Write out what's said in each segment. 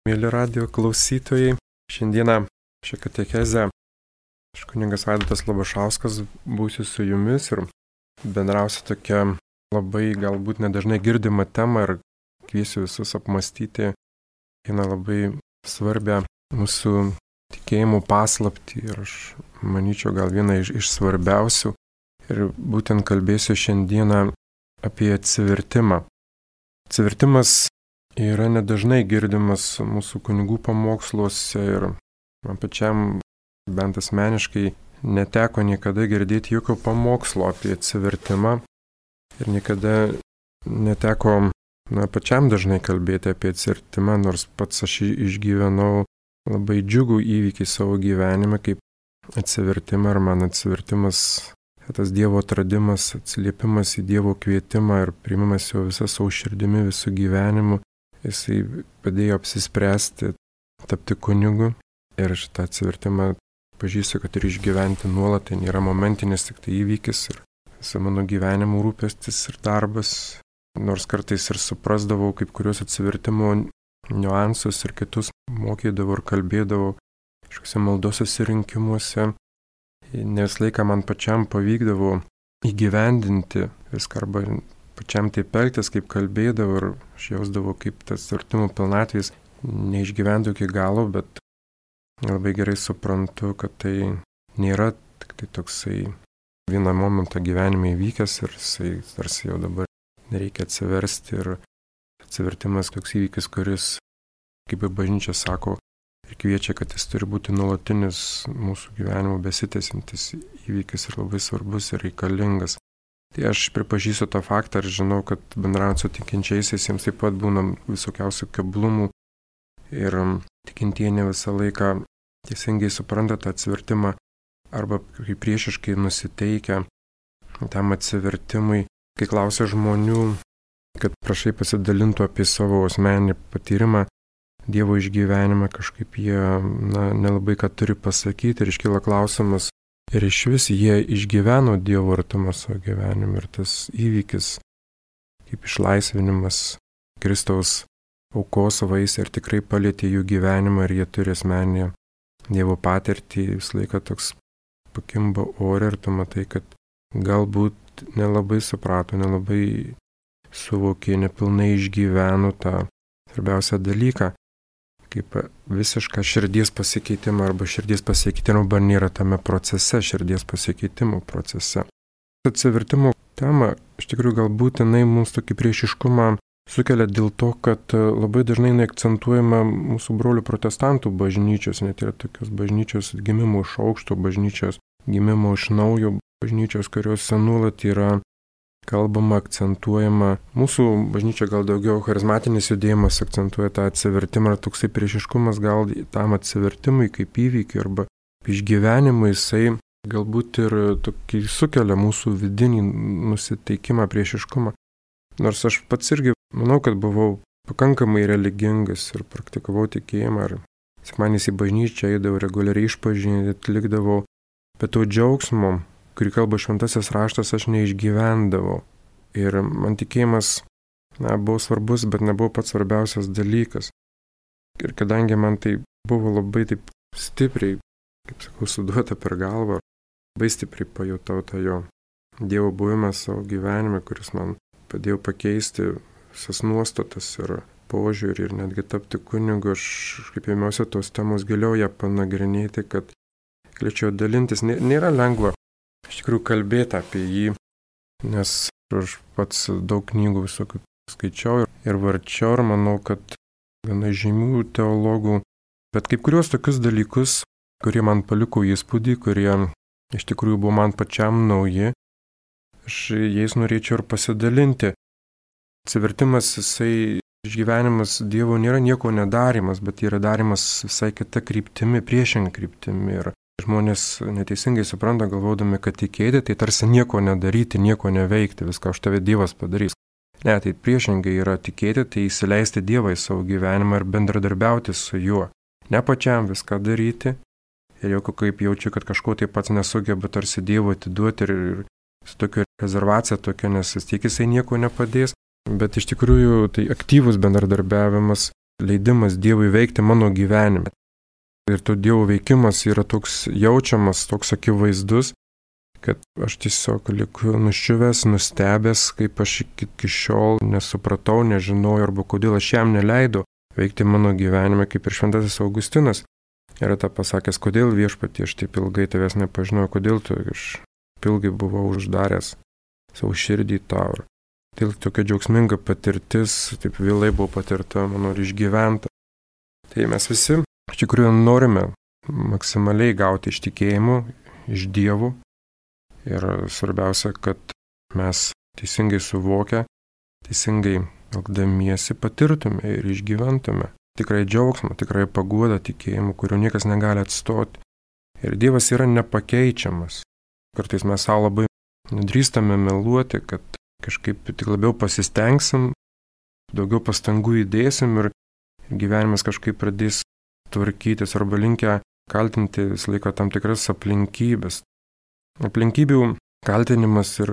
Mėly radijo klausytojai, šiandieną šią katechezę aš kunigas Vaidotas Labašauskas būsiu su jumis ir bendrausiu tokia labai galbūt nedažnai girdima tema ir kviesiu visus apmastyti vieną labai svarbią mūsų tikėjimų paslaptį ir aš manyčiau gal vieną iš svarbiausių ir būtent kalbėsiu šiandieną apie atsivertimą. Atsivertimas yra nedažnai girdimas mūsų kunigų pamoksluose ir man pačiam bent asmeniškai neteko niekada girdėti jokio pamokslo apie atsivertimą ir niekada neteko pačiam dažnai kalbėti apie atsivertimą, nors pats aš išgyvenau labai džiugų įvykį savo gyvenime kaip atsivertimą ir man atsivertimas, tas Dievo atradimas, atsiliepimas į Dievo kvietimą ir priimimas jo visą savo širdimi, visų gyvenimu. Jisai padėjo apsispręsti, tapti kunigu ir šitą atsivertimą pažįstu, kad ir išgyventi nuolat, tai nėra momentinis tik tai įvykis ir visą mano gyvenimo rūpestis ir darbas, nors kartais ir suprasdavau kaip kurios atsivertimo niuansus ir kitus mokydavau ir kalbėdavau kažkokiuose maldos susirinkimuose, nes laiką man pačiam pavykdavo įgyvendinti viską arba pačiam taip elgtis, kaip kalbėdavau ir aš jausdavau, kaip tas atsivertimo pilnatvės neišgyvendavau iki galo, bet labai gerai suprantu, kad tai nėra tik tai toksai vieną momentą gyvenime įvykęs ir jisai tarsi jau dabar nereikia atsiversti ir atsivertimas toks įvykis, kuris, kaip ir bažnyčia sako, ir kviečia, kad jis turi būti nuolatinis mūsų gyvenimo besitęsiantis įvykis ir labai svarbus ir reikalingas. Tai aš pripažįstu tą faktą ir žinau, kad bendraujant su tikinčiaisiais jiems taip pat būna visokiausių keblumų ir tikintieji ne visą laiką teisingai supranta tą atsivertimą arba kaip priešiškai nusiteikia tam atsivertimui, kai klausia žmonių, kad prašai pasidalintų apie savo asmeninį patyrimą, Dievo išgyvenimą, kažkaip jie nelabai ką turi pasakyti ir iškyla klausimas, ir iš vis jie išgyveno Dievo artumą savo gyvenimą ir tas įvykis, kaip išlaisvinimas Kristaus aukos vaisiai ir tikrai palietė jų gyvenimą ir jie turi asmeninę Dievo patirtį, visą laiką toks pakimba ore ir tu matai, kad galbūt nelabai suprato, nelabai suvokė, nepilnai išgyveno tą svarbiausią dalyką, kaip visišką širdies pasikeitimą arba širdies pasikeitimą arba nėra tame procese, širdies pasikeitimo procese. Atsivertimo tema, iš tikrųjų galbūt jinai mums tokį priešiškumą sukelia dėl to, kad labai dažnai neakcentuojama mūsų brolių protestantų bažnyčios, net yra tokios bažnyčios gimimo iš aukšto, bažnyčios gimimo iš naujo, bažnyčios, kuriuose nuolat yra kalbama, akcentuojama. Mūsų bažnyčia gal daugiau charizmatinis judėjimas akcentuoja tą atsivertimą ir toksai priešiškumas gal tam atsivertimui kaip įvykiui arba išgyvenimui, jisai galbūt ir tokį sukelia mūsų vidinį nusiteikimą, priešiškumą. Nors aš pats irgi manau, kad buvau pakankamai religingas ir praktikavau tikėjimą ir sekmadieniais į bažnyčią eidavau reguliariai išpažinti, atlikdavau, bet to džiaugsmo, kurį kalba šventasis raštas, aš neišgyvendavau. Ir man tikėjimas buvo svarbus, bet nebuvo pats svarbiausias dalykas. Ir kadangi man tai buvo labai taip stipriai, kaip sakau, suduota per galvą, labai stipriai pajutau tą jo Dievo buvimą savo gyvenime, kuris man padėjo pakeisti visas nuostatas ir požiūrį ir netgi tapti kunigu, aš kaip ėmiausi tos temos giliau ją panagrinėti, kad galėčiau dalintis. Nėra lengva iš tikrųjų kalbėti apie jį, nes aš pats daug knygų visokių skaičiau ir varčiau ir manau, kad gana žymių teologų, bet kaip kuriuos tokius dalykus, kurie man paliko įspūdį, kurie iš tikrųjų buvo man pačiam nauji, aš jais norėčiau ir pasidalinti. Atsivertimas, jisai išgyvenimas Dievo nėra nieko nedarimas, bet yra darimas visai kita kryptimi, priešinga kryptimi. Ir žmonės neteisingai supranta, galvodami, kad tikėti, tai tarsi nieko nedaryti, nieko neveikti, viską už tave Dievas padarys. Ne, tai priešingai yra tikėti, tai įsileisti Dievą į savo gyvenimą ir bendradarbiauti su juo. Ne pačiam viską daryti ir jau kaip jaučiu, kad kažko tai pats nesugeba tarsi Dievo atiduoti ir su tokia rezervacija tokia, nes vis tiek jisai nieko nepadės, bet iš tikrųjų tai aktyvus bendradarbiavimas leidimas Dievui veikti mano gyvenime. Ir to Dievo veikimas yra toks jaučiamas, toks akivaizdus, kad aš tiesiog liku nuščiuvęs, nustebęs, kaip aš iki šiol nesupratau, nežinau, arba kodėl aš jam neleidau veikti mano gyvenime, kaip ir šventasis Augustinas yra tą pasakęs, kodėl Viešpatie aš taip ilgai tavęs nepažinojau, kodėl aš ilgai buvau uždaręs savo širdį tau. Tai tokia džiaugsminga patirtis, taip vėlai buvo patirta, manau, ir išgyventa. Tai mes visi iš tikrųjų norime maksimaliai gauti iš tikėjimo, iš Dievo. Ir svarbiausia, kad mes teisingai suvokę, teisingai elgdamiesi patirtume ir išgyventume tikrai džiaugsmą, tikrai paguodą tikėjimu, kurio niekas negali atstoti. Ir Dievas yra nepakeičiamas. Kartais mes savo labai nedrįstame meluoti, kad kažkaip tik labiau pasistengsim, daugiau pastangų įdėsim ir gyvenimas kažkaip pradės tvarkytis arba linkę kaltinti visą laiką tam tikras aplinkybės. Aplinkybių kaltinimas ir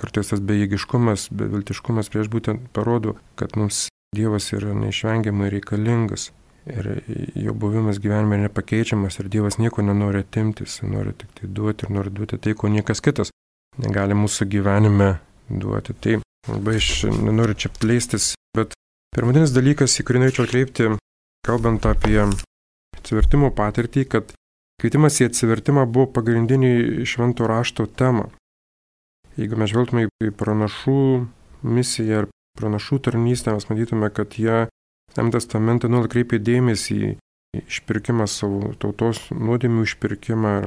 kartais tas bejėgiškumas, beviltiškumas prieš būtent parodo, kad mums Dievas yra neišvengiamai reikalingas ir jo buvimas gyvenime nepakeičiamas ir Dievas nieko nenori atimti, jis nori tik tai duoti ir nori duoti tai, ko niekas kitas negali mūsų gyvenime duoti. Tai labai aš nenoriu čia plėstis, bet pirminis dalykas, į kurį norėčiau atkreipti, kalbant apie atsivertimo patirtį, kad kvietimas į atsivertimą buvo pagrindinė švento rašto tema. Jeigu mes žvelgtume į pranašų misiją ir pranašų tarnystę, mes matytume, kad jie Senajame testamente nuolat kreipia dėmesį į išpirkimą savo tautos nuodėmių išpirkimą ir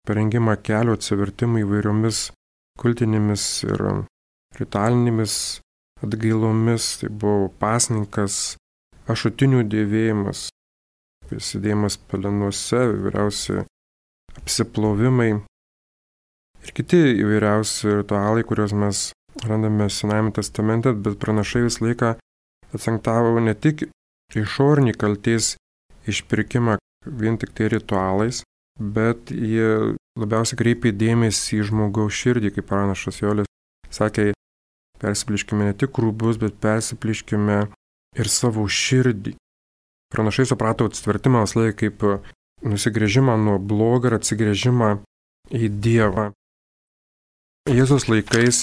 parengimą kelio atsivertimą įvairiomis kultinėmis ir ritualinėmis atgailomis. Tai buvo pasninkas, ašutinių dėvėjimas, prisidėjimas pelenuose, įvairiausi apsiplovimai ir kiti įvairiausi ritualai, kuriuos mes randame Senajame testamente, bet pranašai visą laiką akcentavo ne tik išorinį kaltės išpirkimą vien tik tai ritualais, bet jie labiausiai kreipė dėmesį į žmogaus širdį, kaip pranašas Joelis sakė, persipliškime ne tik rūbus, bet persipliškime ir savo širdį. Pranašai suprato atsivertimą visą laiką kaip nusigręžimą nuo blogo ir atsigręžimą į Dievą. Jėzaus laikais,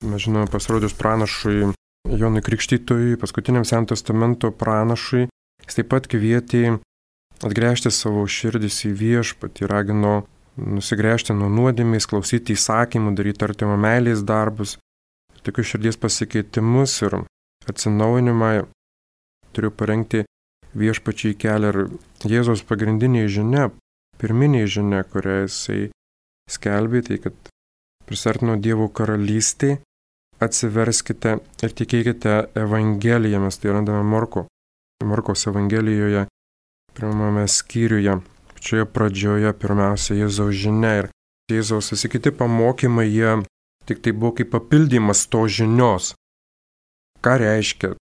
mes žinome, pasirodžius pranašui Jonui Krikštytojui, paskutiniam Senojo testamento pranašui, jis taip pat kvietė atgręžti savo širdis į Viešpatį, ragino nusigręžti nuo nuodėmės, klausyti įsakymų, daryti artimo meilės darbus, tokius širdies pasikeitimus ir atsinaujinimą turiu parengti Viešpačiai kelią. Ir Jėzaus pagrindinė žinia, pirminė žinia, kurią jisai skelbė, tai kad prisartino Dievo karalystė, atsiverskite ir tikėkite Evangeliją. Mes tai randame Morkaus Evangelijoje, pirmame skyriuje, pačioje pradžioje pirmiausia Jėzaus žinia ir Jėzaus visi kiti pamokymai, jie tik tai buvo kaip papildymas to žinios. Ką reiškia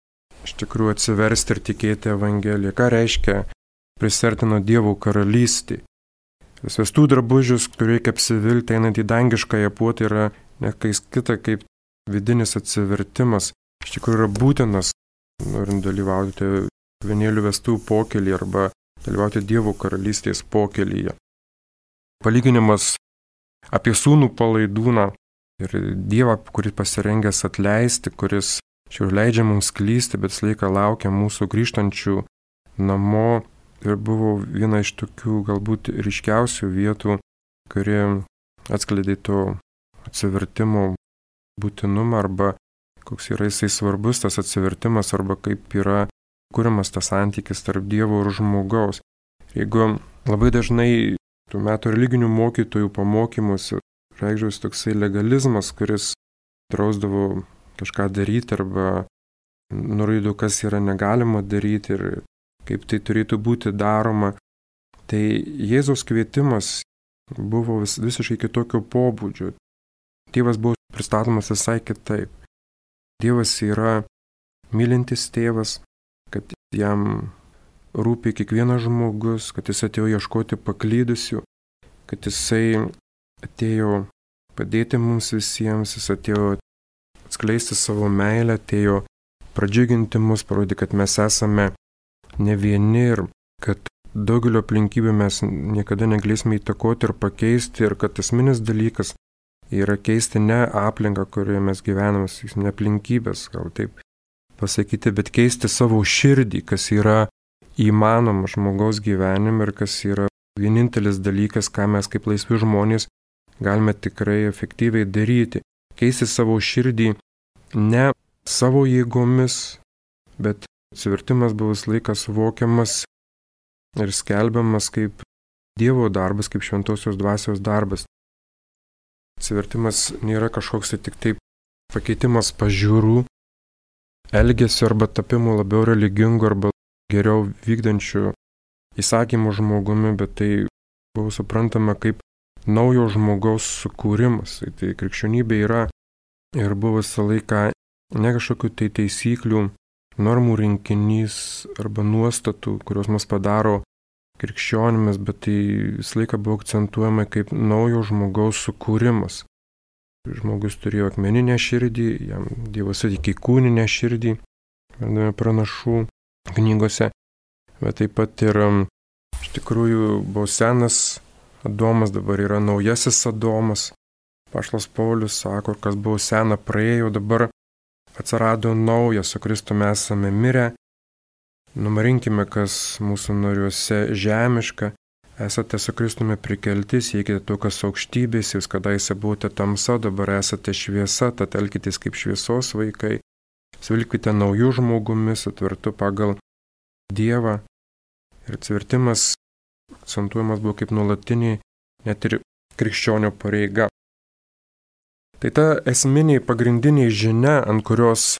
iš tikrųjų atsiversti ir tikėti Evangeliją? Ką reiškia prisartino Dievo karalystė? Svestų drabužius, kur reikia apsivilti, einant į dangiškąją puotą, yra ne kas kita kaip vidinis atsivertimas. Iš tikrųjų yra būtinas, norint dalyvauti vienėlių vestuvių pokylyje arba dalyvauti Dievo karalystės pokylyje. Palyginimas apie sūnų palaidūną ir Dievą, kuris pasirengęs atleisti, kuris čia leidžia mums klysti, bet visą laiką laukia mūsų grįžtančių namo. Ir buvo viena iš tokių galbūt ryškiausių vietų, kuri atskleidė to atsivertimo būtinumą arba koks yra jisai svarbus tas atsivertimas arba kaip yra kuriamas tas santykis tarp Dievo ir žmogaus. Jeigu labai dažnai tų metų religinių mokytojų pamokymuose reikšdavosi toksai legalizmas, kuris drausdavo kažką daryti arba nurodo, kas yra negalima daryti ir kaip tai turėtų būti daroma, tai Jėzaus kvietimas buvo visiškai kitokio pobūdžio. Dievas buvo pristatomas visai kitaip. Dievas yra mylintis tėvas, kad jam rūpi kiekvienas žmogus, kad jis atėjo ieškoti paklydusių, kad jisai atėjo padėti mums visiems, jis atėjo atskleisti savo meilę, atėjo pradžiuginti mus, parodyti, kad mes esame ne vieni ir kad daugelio aplinkybių mes niekada negalėsime įtakoti ir pakeisti ir kad esminis dalykas yra keisti ne aplinką, kurioje mes gyvename, ne aplinkybės, gal taip pasakyti, bet keisti savo širdį, kas yra įmanoma žmogaus gyvenime ir kas yra vienintelis dalykas, ką mes kaip laisvi žmonės galime tikrai efektyviai daryti. Keisti savo širdį ne savo jėgomis, bet atsivertimas buvo visą laiką suvokiamas ir skelbiamas kaip Dievo darbas, kaip šventosios dvasios darbas. Atsivertimas nėra kažkoks tik taip pakeitimas pažiūrų, elgesio arba tapimo labiau religingu arba geriau vykdančiu įsakymų žmogumi, bet tai buvo suprantama kaip naujo žmogaus sukūrimas. Tai krikščionybė yra ir buvo visą laiką ne kažkokių tai taisyklių, normų rinkinys arba nuostatų, kurios mus padaro krikščionimis, bet tai visą laiką buvo akcentuojama kaip naujo žmogaus sukūrimas. Žmogus turėjo akmeninę širdį, jam Dievas suteikė kūninę širdį, vadiname pranašų knygose, bet taip pat ir iš tikrųjų buvo senas Adomas, dabar yra naujasis Adomas. Apaštalas Paulius sako, kas buvo sena praėjo, dabar atsirado naujas, su Kristumi esame mirę. Numarinkime, kas mūsų nariuose žemiška, esate su Kristumi prikelti, siekite to, kas aukštybės, jūs kadaise buvote tamsa, dabar esate šviesa, tad elkitės kaip šviesos vaikai, svilkite naujų žmogumi, sutvertu pagal Dievą. Ir atsivertimas akcentuojamas buvo kaip nuolatinė, net ir krikščionio pareiga. Tai ta esminė pagrindinė žinia, ant kurios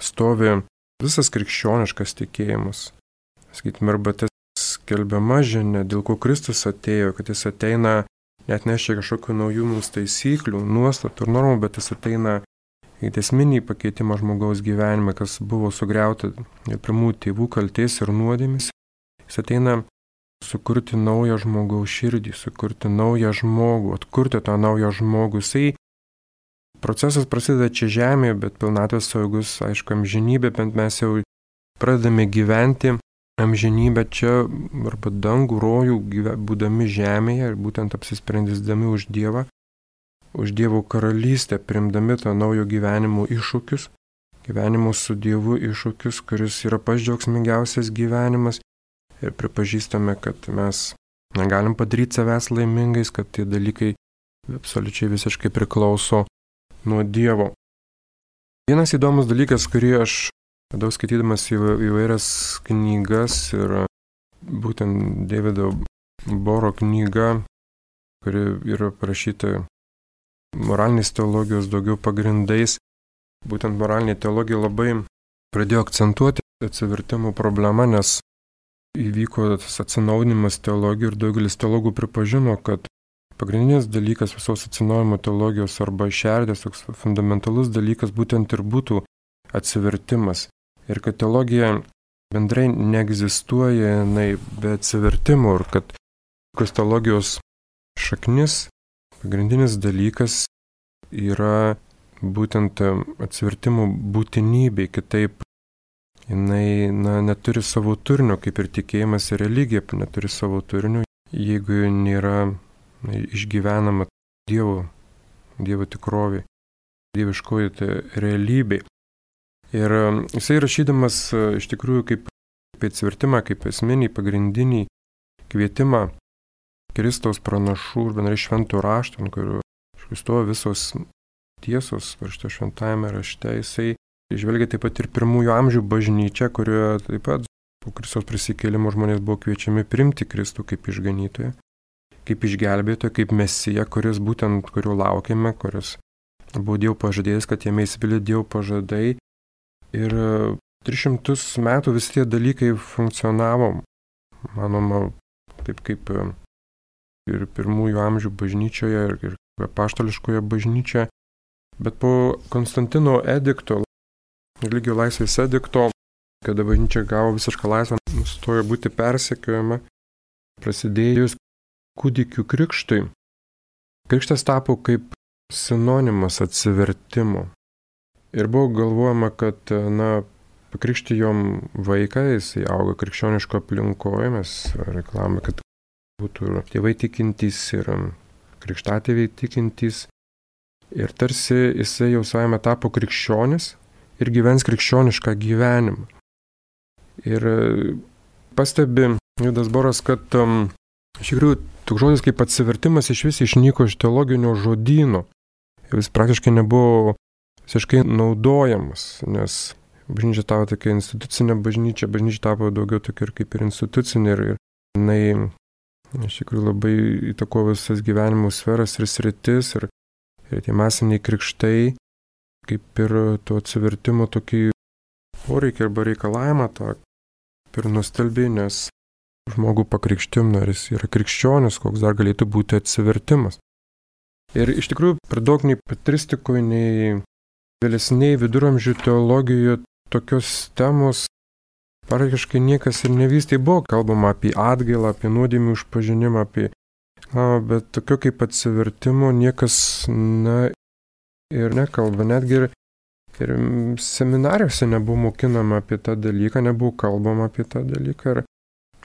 stovi visas krikščioniškas tikėjimas. Sakytume, arba tas skelbiama žinia, dėl ko Kristus atėjo, kad jis ateina net nešia kažkokių naujų mums taisyklių, nuostatų ir normų, bet jis ateina į esminį pakeitimą žmogaus gyvenime, kas buvo sugriauta pirmųjų tėvų kaltės ir nuodėmės. Jis ateina sukurti naują žmogaus širdį, sukurti naują žmogų, atkurti tą naują žmogų. Procesas prasideda čia žemėje, bet pilnatvės saugus, aišku, amžinybė, bent mes jau pradedame gyventi amžinybę čia arba dangų, rojų, būdami žemėje ir būtent apsisprendysdami už Dievą, už Dievo karalystę, primdami tą naujo gyvenimo iššūkius, gyvenimo su Dievu iššūkius, kuris yra pats džiaugsmingiausias gyvenimas ir pripažįstame, kad mes negalim padaryti savęs laimingais, kad tie dalykai absoliučiai visiškai priklauso nuo Dievo. Vienas įdomus dalykas, kurį aš daug skaitydamas įvairias knygas ir būtent Davido Boro knyga, kuri yra parašyta moralinės teologijos daugiau pagrindais, būtent moralinė teologija labai pradėjo akcentuoti atsivertimo problemą, nes įvyko tas atsinaujinimas teologijų ir daugelis teologų pripažino, kad pagrindinis dalykas visos atsinaujinimo teologijos arba šerdės, toks fundamentalus dalykas būtent ir būtų atsivertimas. Ir kad teologija bendrai neegzistuoja jinai be atsivertimo ir kad teologijos šaknis, pagrindinis dalykas yra būtent atsivertimo būtinybė, kitaip jinai neturi savo turinio, kaip ir tikėjimas ir religija neturi savo turinio, jeigu nėra išgyvenama Dievo tikrovė, dieviškoji realybė. Ir jisai rašydamas iš tikrųjų kaip atsivertimą, kaip esminį, pagrindinį kvietimą Kristaus pranašų ir bendrai šventų raštų, ant kurių stovi visos tiesos parašyta šventajame rašte, jisai žvelgia taip pat ir pirmųjų amžių bažnyčią, kurioje taip pat po Kristaus prisikėlimo žmonės buvo kviečiami priimti Kristų kaip išganytoją, kaip išgelbėtoją, kaip mesiją, kurio laukiame, kuris buvo Dievo pažadėjęs, kad jame įsipildė Dievo pažadai. Ir 300 metų visi tie dalykai funkcionavo, manoma, taip kaip ir pirmųjų amžių bažnyčioje, ir apaštališkoje bažnyčioje. Bet po Konstantino edikto, religijų laisvės edikto, kada bažnyčia gavo visišką laisvę, nustojo būti persekiojama, prasidėjus kūdikių krikštui. Krikštas tapo kaip sinonimas atsivertimo. Ir buvo galvojama, kad, pakrikštijom vaiką, jisai auga krikščioniško aplinkoje, mes reklamame, kad būtų tėvai tikintys ir krikštatėviai tikintys. Ir tarsi jisai jau savame tapo krikščionis ir gyvens krikščionišką gyvenimą. Ir pastebi Judas Boras, kad iš tikrųjų toks žodis kaip atsivertimas iš vis išnyko iš teologinio žodyno. Jis praktiškai nebuvo visiškai naudojamas, nes bažnyčia tapo tokia institucinė bažnyčia tapo daugiau tokia ir kaip ir institucinė ir jinai iš tikrųjų labai įtakojo visas gyvenimo sferas ir sritis ir tie masiniai krikštai kaip ir to atsivertimo tokį poreikį arba reikalavimą tą ir nustelbė, nes žmogų pakrikštim, ar jis yra krikščionis, koks dar galėtų būti atsivertimas. Ir iš tikrųjų, per daug nei patristikoje, nei vėlesniai viduramžių teologijoje tokios temos praktiškai niekas ir nevystė. Buvo kalbama apie atgailą, apie nuodėmių išpažinimą, bet tokio kaip atsivertimo niekas ir nekalba. Netgi ir seminarijose nebuvo mokinama apie tą dalyką, nebuvo kalbama apie tą dalyką.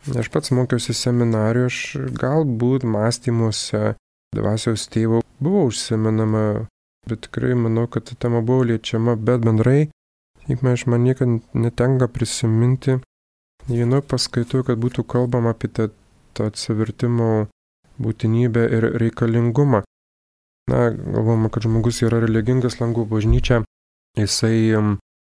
Ir aš pats mokiausi seminarijoje, aš galbūt mąstymuose dvasios tėvo buvo užsimenama, bet tikrai manau, kad ta tema buvo liečiama, bet bendrai, man niekad netenka prisiminti vienoje paskaitoje, kad būtų kalbama apie tą atsivertimo būtinybę ir reikalingumą. Galvojama, kad žmogus yra religingas, lanko bažnyčią, jisai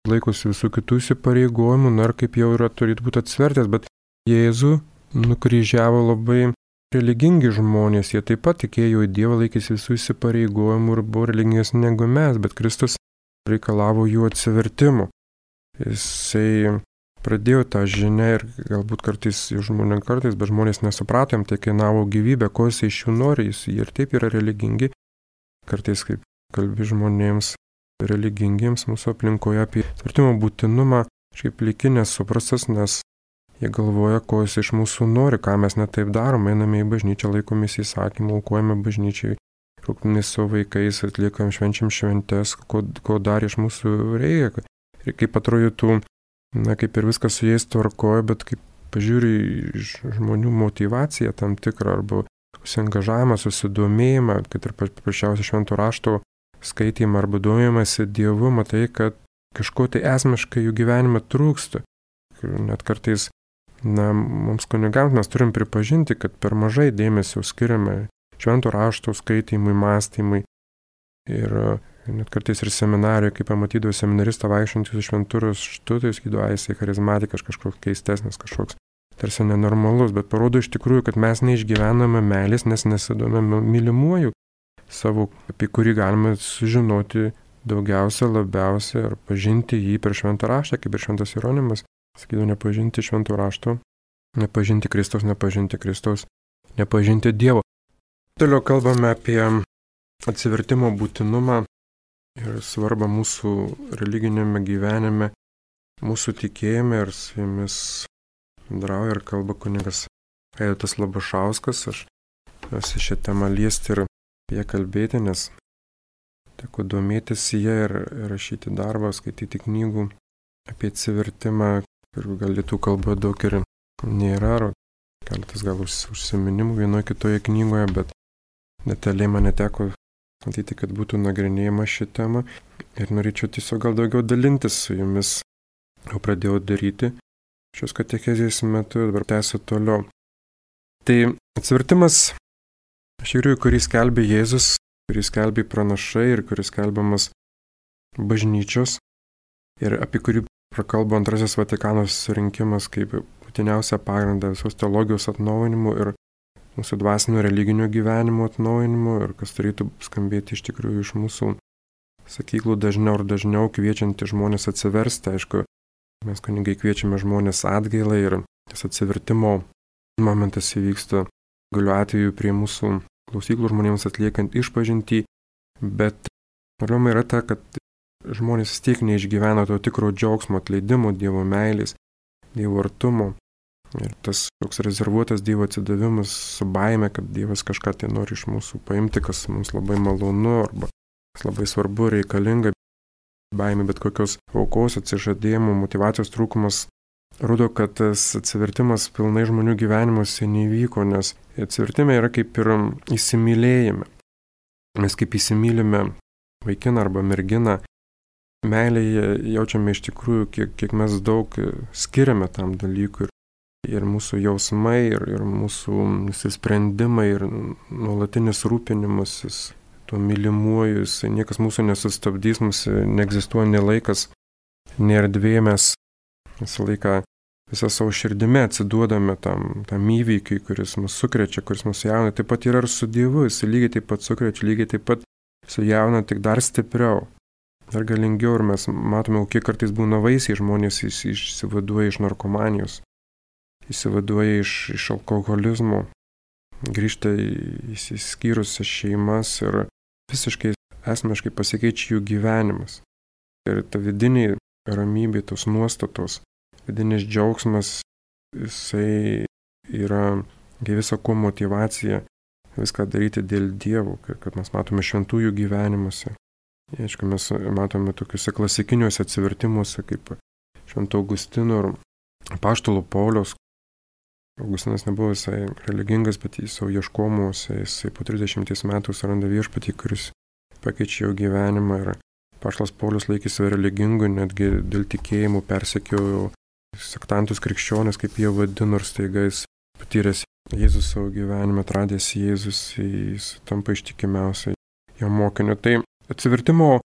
laikosi visų kitų įsipareigojimų, ir kaip jau yra turėtų būti atsivertęs, bet Jėzų nukryžiavo labai religingi žmonės, jie taip pat tikėjo į Dievą, laikėsi visų įsipareigojimų ir buvo religingesni negu mes, bet Kristus reikalavo jų atsivertimo. Jisai pradėjo tą žinią ir galbūt kartais bet žmonės nesuprato, jam tai kainavo gyvybę, ko jisai iš jų nori, jie ir taip yra religingi. Kartais kaip kalbi žmonėms religingiems mūsų aplinkoje apie atsivertimo būtinumą, šiaip likinės suprastas, nes jie galvoja, ko jis iš mūsų nori, ką mes netaip darom, einame į bažnyčią, laikomės įsakymų, aukojame bažnyčiai, rūpinamės savo vaikais, atliekam švenčiam šventes, ko dar iš mūsų reikia. Ir kaip atrodytų, kaip ir viskas su jais tvarkoja, bet kaip pažiūri žmonių motyvaciją tam tikrą, arba susiangažavimą, susidomėjimą, kad ir paprasčiausiai švento rašto skaitymą arba domėjimąsi Dievu, matai, kad kažko tai esmiškai jų gyvenime trūksta. Net kartais mums kunigams mes turim pripažinti, kad per mažai dėmesio skiriame švento rašto skaitymui, mąstymui. Ir net kartais ir seminarijoje, kai pamatydavo seminaristą vaikščiantį su šventu raštu, tai sakydavo, jisai charizmatikas, kažkoks keistesnis, kažkoks tarsi nenormalus, bet parodo iš tikrųjų, kad mes neišgyvename meilės, nes nesidomime mylimuoju savo, apie kurį galime sužinoti daugiausia, labiausia ir pažinti jį per šventą raštą, kaip ir šventas Jeronimas. Sakydavo, nepažinti šventų rašto, nepažinti Kristaus, nepažinti Dievo. Toliau kalbame apie atsivertimo būtinumą ir svarbą mūsų religinėme gyvenime, mūsų tikėjime, ir su jumis bendrauja ir kalba kunigas Vaidotas Labašauskas. Aš esu šią temą liesti ir apie ją kalbėti, nes teko domėtis ją ir rašyti darbą, skaityti knygų apie atsivertimą. Ir gal lietuvių kalboje daug ir nėra, keletas gal užsiminimų vienoje kitoje knygoje, bet detaliai man neteko matyti, kad būtų nagrinėjama ši tema. Ir norėčiau tiesiog gal daugiau dalintis su jumis. Jau pradėjau daryti šios katechezės metu, dabar tęsiu toliau. Tai atsivertimas, iš tikrųjų, kurį skelbė Jėzus, kurį skelbė pranašai ir kuris skelbiamas bažnyčios ir apie kurį prakalbo Antrasis Vatikano susirinkimas kaip būtiniausia pagrindą visos teologijos atnaujinimo ir mūsų dvasinio religinio gyvenimo atnaujinimo, ir kas turėtų skambėti iš tikrųjų iš mūsų sakyklų dažniau ir dažniau, kviečianti žmonės atsiversti. Aišku, mes kunigai kviečiame žmonės atgailai ir tas atsivertimo momentas įvyksta galiu atveju prie mūsų klausyklų žmonėms atliekant išpažintį, bet problema yra ta, kad žmonės vis tiek neišgyvena to tikro džiaugsmo, atleidimo, Dievo meilės, Dievo artumo. Ir tas toks rezervuotas Dievo atsidavimas su baime, kad Dievas kažką tai nori iš mūsų paimti, kas mums labai malonu arba kas labai svarbu, reikalinga. baimė, bet kokios aukos, atsižadėjimo, motyvacijos trūkumas rodo, kad tas atsivertimas pilnai žmonių gyvenimuose neįvyko, nes atsivertime yra kaip ir įsimylėjime. Mes kaip įsimylime vaikiną arba merginą, meilėje jaučiame iš tikrųjų, kiek mes daug skiriame tam dalykui. Ir mūsų jausmai, ir mūsų sprendimai, ir nuolatinis rūpinimasis tuo mylimuoju, niekas mūsų nesustabdys, mūsų neegzistuoja nei laikas, nei erdvė, mes visą laiką visą savo širdimi atsiduodame tam įvykiui, kuris mus sukrečia, kuris mus jauna. Taip pat yra ir su Dievu, jis lygiai taip pat sukrečia, lygiai taip pat sujauna, tik dar stipriau, dar galingiau. Ir mes matome, kiek kartais būna vaisiai žmonės išsivaduoja iš narkomanijos, išsivaduoja iš alkoholizmo, grįžta į išsiskyrusias šeimas ir visiškai esmiškai pasikeičia jų gyvenimas. Ir ta vidinė ramybė, tos nuostatos, vidinis džiaugsmas, jisai yra visa ko motyvacija viską daryti dėl Dievo, kad mes matome šventųjų gyvenimuose. Aišku, mes matome tokiuose klasikiniuose atsivertimuose, kaip Švento Augustino ir apaštalo Pauliaus. Augustinas nebuvo visai religingas, bet jis savo ieškomuose, jisai po 30 metų suranda viešpatį, kuris pakeičia jo gyvenimą. Ir apaštalas Paulius laikėsi religingu, netgi dėl tikėjimų persekiojo sektantus krikščionis, kaip jie vadino, ir staiga jis patyręs Jėzus savo gyvenime, atradęs Jėzus, jis tampa ištikimiausiai jo mokiniu. Tai atsivertimo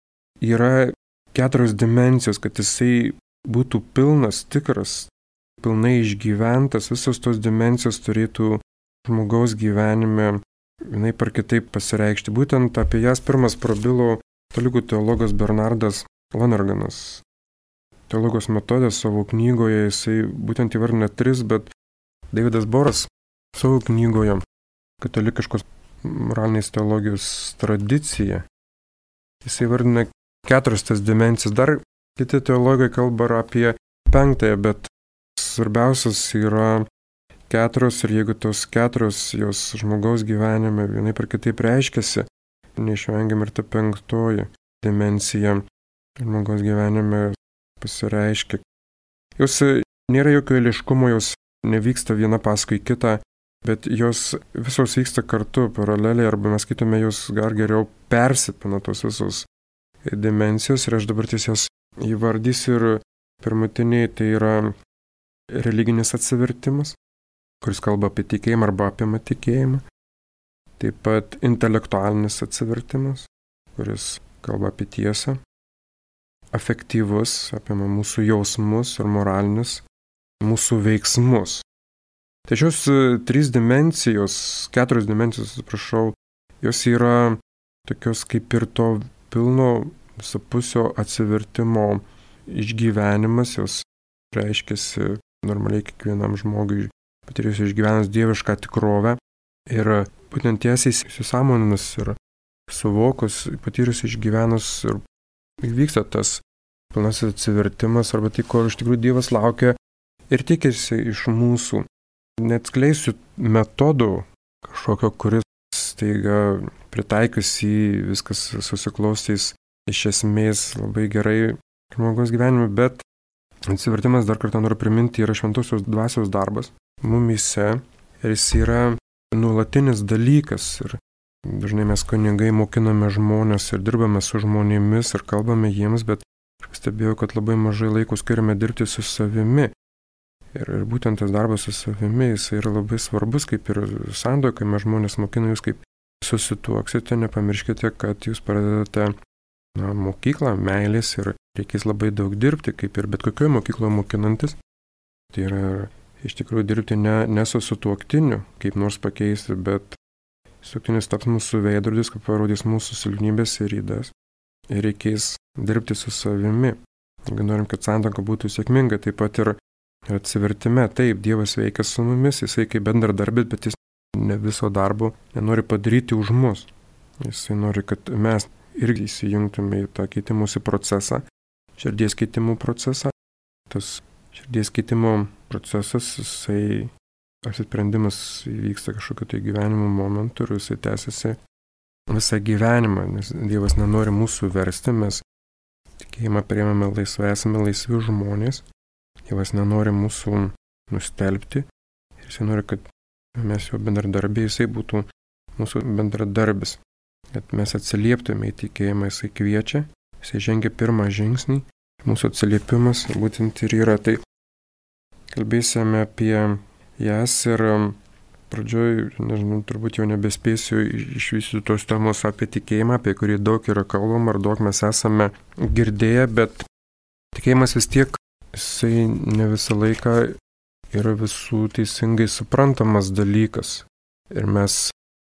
yra 4 dimensijos, kad jisai būtų pilnas, tikras, pilnai išgyventas, visos tos dimensijos turėtų žmogaus gyvenime vienai par kitaip pasireikšti. Būtent apie jas pirmas prabilo katalikų teologas Bernardas Lonerganas. Teologos metodės savo knygoje jisai būtent įvardina 3, bet Davidas Boras savo knygoje katalikiškos moralinės teologijos tradicija jisai įvardina 4 tas dimensijas. Dar kiti teologai kalba apie 5, bet svarbiausias yra 4 ir jeigu tos 4 jos žmogaus gyvenime vienai per kitaip reiškiasi, neišvengiam ir ta 5 dimensija žmogaus gyvenime pasireiškia. Jos nėra jokio eiliškumo, jos nevyksta viena paskui kitą, bet jos visos vyksta kartu, paraleliai, arba mes skaitome, jos dar geriau persipina tos visos dimensijos ir aš dabar tiesiog įvardysiu. Ir pirmutiniai tai yra religinis atsivertimas, kuris kalba apie tikėjimą arba apima tikėjimą. Taip pat intelektualinis atsivertimas, kuris kalba apie tiesą. Afektyvus, apima mūsų jausmus ir moralinius mūsų veiksmus. Tai šios 3 dimensijos, 4 dimensijos, atsiprašau, jos yra tokios kaip ir to pilno visapusio atsivertimo išgyvenimas, jos reiškiasi normaliai kiekvienam žmogui patyrus išgyvenus dievišką tikrovę ir būtent tiesiai įsisąmoninus ir suvokus, patyrus išgyvenus ir vyksta tas pilnasis atsivertimas arba tai, ko iš tikrųjų Dievas laukia ir tikisi iš mūsų. Neatskleisiu metodų kažkokio, kuris staiga pritaikius į viskas susiklostys iš esmės labai gerai žmogaus gyvenime, bet atsivertimas, dar kartą noriu priminti, yra šventosios dvasios darbas mumyse ir jis yra nuolatinis dalykas. Ir dažnai mes kunigai mokiname žmonės ir dirbame su žmonėmis ir kalbame jiems, bet aš stebėjau, kad labai mažai laiko skiriame dirbti su savimi. Ir būtent tas darbas su savimi, jis yra labai svarbus, kaip ir sandoje, kai mes žmonės mokina jūs, kaip susituoksite, nepamirškite, kad jūs pradedate mokyklą, meilės ir reikės labai daug dirbti, kaip ir bet kokioje mokykloje mokinantis. Tai yra iš tikrųjų dirbti ne su sutuoktiniu, kaip nors pakeisti, bet sutuoktinis taps mūsų veidrodis, kaip parodys mūsų silpnybės ir ydas. Ir reikės dirbti su savimi. Jeigu norim, kad santuoka būtų sėkminga, taip pat ir atsivertime. Taip, Dievas veikia su mumis, jisai kaip bendradarbis, bet jis ne viso darbo nenori padaryti už mus. Jisai nori, kad mes irgi įsijungtume į tą keitimosi procesą, širdies keitimo procesą. Tas širdies keitimo procesas, jisai apsisprendimas įvyksta kažkokio tai gyvenimo momentu ir jisai tęsiasi visą gyvenimą, nes Dievas nenori mūsų versti, mes tikėjimą priimame laisvai, esame laisvi žmonės. Dievas nenori mūsų nustelbti ir jisai nori, kad mes jo bendradarbiai, jisai būtų mūsų bendradarbis. Kad mes atsilieptume į tikėjimą, jisai kviečia, jisai žengia pirmą žingsnį. Mūsų atsiliepimas būtent ir yra. Tai kalbėsime apie jas ir pradžioj, nežinau, turbūt jau nebespėsiu išvystyti tos temos apie tikėjimą, apie kurį daug yra kalbama ar daug mes esame girdėję, bet tikėjimas vis tiek, jisai ne visą laiką yra visų teisingai suprantamas dalykas. Ir mes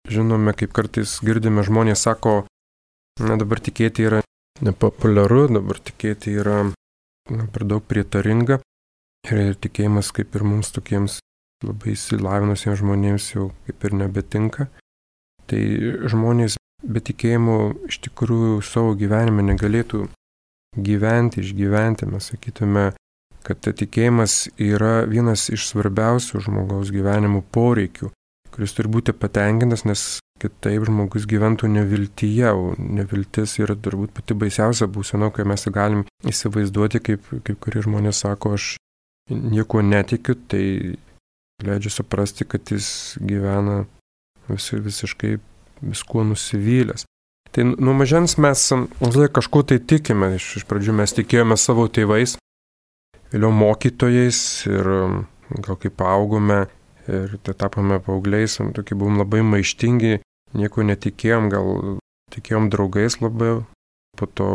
žinome, kaip kartais girdime, žmonės sako, na dabar tikėti yra nepopuliaru, dabar tikėti yra per daug prietaringa. Ir tikėjimas kaip ir mums tokiems labai įsilavinusiems žmonėms jau kaip ir nebetinka. Tai žmonės be tikėjimo iš tikrųjų savo gyvenime negalėtų gyventi, išgyventi. Mes sakytume, kad tikėjimas yra vienas iš svarbiausių žmogaus gyvenimo poreikių, kuris turi būti patenkintas, nes kitaip žmogus gyventų neviltyje, o neviltis yra turbūt pati baisiausia būsena, kai mes galim įsivaizduoti, kaip kurie žmonės sako, aš nieko netikiu, tai leidžia suprasti, kad jis gyvena visiškai viskuo nusivylęs. Tai nuo mažens mes kažko tai tikime. Iš pradžių mes tikėjome savo tėvais, vėliau mokytojais ir gal kaip augome ir tai tapome paaugliais, tokie buvom labai maištingi, nieko netikėjom, gal tikėjom draugais labiau, po to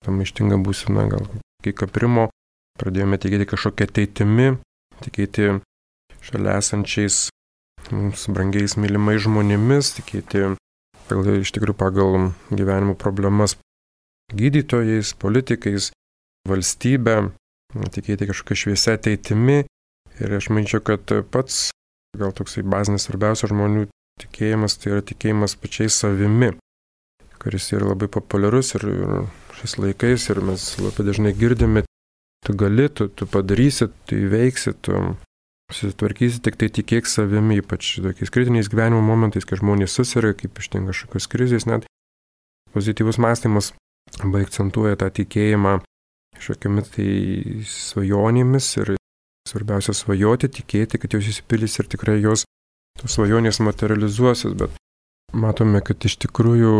ta maištinga būsena gal kai kaprimo, pradėjome tikėti kažkokią ateitimi, tikėti šalia esančiais mums brangiais mylimais žmonėmis, tikėti iš tikrųjų pagal gyvenimo problemas gydytojais, politikais, valstybę, tikėti kažkokią šviesią ateitimi. Ir aš manyčiau, kad pats gal toksai bazinis svarbiausias žmonių tikėjimas, tai yra tikėjimas pačiais savimi, kuris yra labai populiarus ir šiais laikais ir mes labai dažnai girdime, tu gali, tu padarysi, tu įveiksi, tu susitvarkysi, tik tai tikėk savimi, ypač tokiais kritiniais gyvenimo momentais, kai žmonės susirga, kaip ištinka kažkokios krizės, net pozityvus mąstymas labai akcentuoja tą tikėjimą kažkokiamis tai svajonėmis ir svarbiausia svajoti, tikėti, kad jos įsipildys ir tikrai jos tos svajonės materializuosis, bet matome, kad iš tikrųjų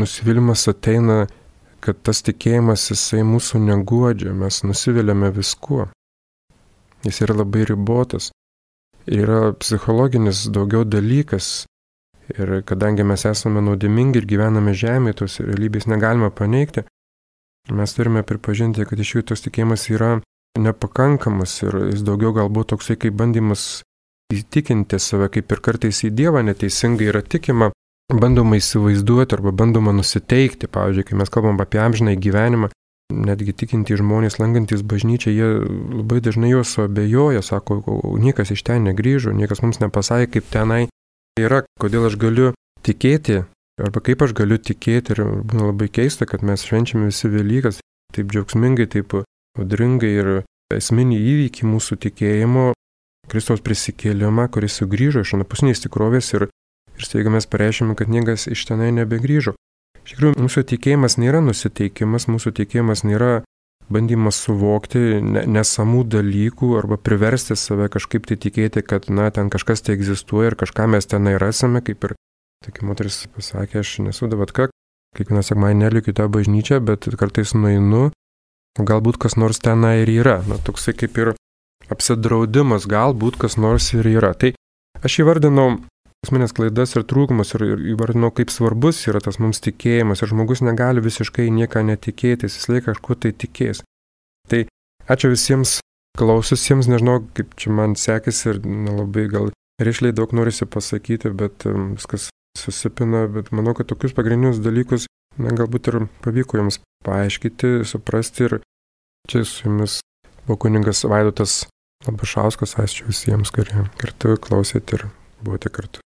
nusivylimas ateina, kad tas tikėjimas jisai mūsų neguodžia, mes nusiviliame viskuo. Jis yra labai ribotas. Yra psichologinis daugiau dalykas. Ir kadangi mes esame nuodėmingi ir gyvename žemėje, tos realybės negalime paneigti, mes turime pripažinti, kad iš jų tos tikėjimas yra nepakankamas ir jis daugiau galbūt toksai kaip bandymas įtikinti save, kaip ir kartais į Dievą neteisingai yra tikima, bandoma įsivaizduoti arba bandoma nusiteikti. Pavyzdžiui, kai mes kalbam apie amžinąjį gyvenimą, netgi tikintys žmonės, lankantys bažnyčią, jie labai dažnai juos abejoja, sako, niekas iš ten negrįžo, niekas mums nepasakė, kaip tenai yra, kodėl aš galiu tikėti, arba kaip aš galiu tikėti. Ir būna labai keista, kad mes švenčiame visi Velykas taip džiaugsmingai, taip audringai ir esminį įvykį mūsų tikėjimo, Kristaus prisikėlimą, kuris sugrįžo iš anapusinės tikrovės ir staiga mes pareiškime, kad niekas iš tenai nebegrįžo. Iš tikrųjų, mūsų tikėjimas nėra nusiteikimas, mūsų tikėjimas nėra bandymas suvokti nesamų dalykų arba priversti save kažkaip tai tikėti, kad, ten kažkas tai egzistuoja ir kažką mes tenai rasime, kaip ir tokia moteris pasakė, aš nesu davatka, kiekvieną sekmadienį nelikiu į tą bažnyčią, bet kartais nueinu, galbūt kas nors tenai ir yra. Toksai kaip ir apsidraudimas, galbūt kas nors ir yra. Tai aš įvardinau asmenės klaidas ir trūkumus ir įvardinau, kaip svarbus yra tas mums tikėjimas ir žmogus negali visiškai nieką netikėtis, jis laiką kažkuo tai tikės. Tai ačiū visiems klaususiems, nežinau, kaip čia man sekėsi ir labai gal rišliai daug norisi pasakyti, bet viskas susipina, bet manau, kad tokius pagrindinius dalykus galbūt ir pavyko jums paaiškyti, suprasti ir čia su jumis buvo kunigas Vaidotas Labašauskas, ačiū visiems, kurie kartu klausėte ir buvote kartu.